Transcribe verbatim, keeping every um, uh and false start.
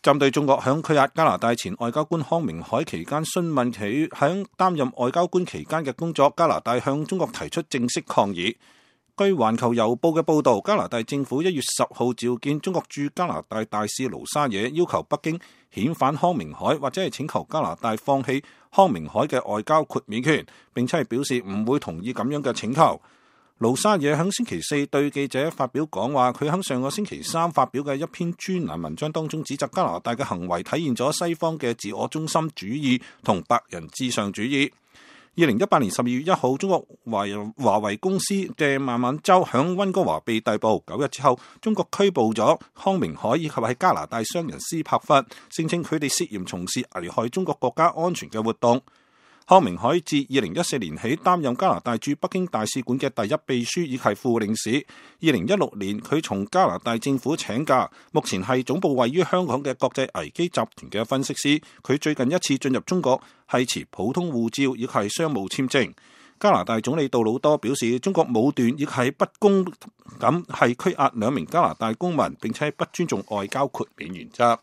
針對中國響拘押加拿大前外交官康明凱期間詢問佢響擔任外交官期間嘅工作，加拿大向中國提出正式抗議。據環球郵報嘅報導，加拿大政府一月十號召見中國駐加拿大大使盧沙野，要求北京遣返康明凱，或者係請求加拿大放棄康明凱嘅外交豁免權，並且係表示唔會同意咁樣嘅請求。盧沙野喺星期四對記者發表講話，佢喺上個星期三發表嘅一篇專欄文章當中，指責加拿大嘅行為體現咗西方嘅自我中心主義同白人至上主義。二零一八年十二月一號，中國華華為公司嘅孟晚舟響溫哥華被逮捕。九日之後，中國拘捕咗康明凱以及喺加拿大商人斯帕弗，聲稱佢哋涉嫌從事危害中國國家安全嘅活動。康明凱自二零一四年起擔任加拿大駐北京大使館嘅第一秘書以及副領事。二零一六年，佢從加拿大政府請假，目前係總部位於香港嘅國際危機集團嘅分析師。佢最近一次進入中國係持普通護照，亦係商務簽證。加拿大總理杜魯多表示，中國武斷亦係不公咁係拘押兩名加拿大公民，並且不尊重外交豁免原則。